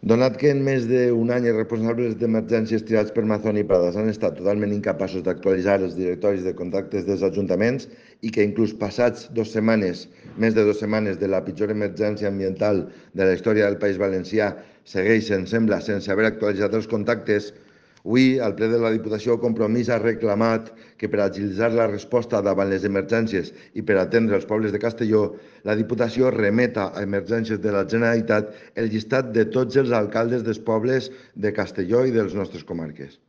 Donat que en més d'un any els responsables d'emergències triats per Mazón i Prades han estat totalment incapaços d'actualitzar els directoris de contactes dels ajuntaments i que inclús passats 2 setmanes, més de 2 setmanes de la pitjor emergència ambiental de la història del País Valencià, segueixen, sembla, sense haver actualitzat els contactes, avui, al ple de la Diputació, Compromís ha reclamat que per agilitzar la resposta davant les emergències i per atendre els pobles de Castelló, la Diputació remeta a Emergències de la Generalitat el llistat de tots els alcaldes dels pobles de Castelló i de les nostres comarques.